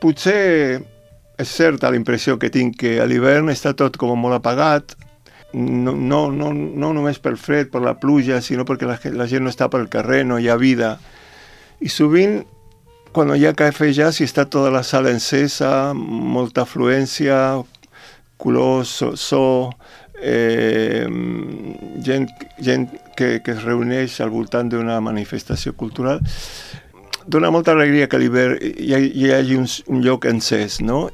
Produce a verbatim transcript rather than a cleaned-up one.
potser és certa la impressió que tinc que a l'hivern està tot com molt apagat, no, no, no, no només pel fred, per la pluja, sinó perquè la, la gent no està pel carrer, no hi ha vida. I sovint, quan hi ha cafè jazz, si està tota la sala encesa, molta afluència, colors, so, so eh, gent, gent que, que es reuneix al voltant d'una manifestació cultural, dona molta alegria que a l'hivern hi, hi hagi un, un lloc encès, no?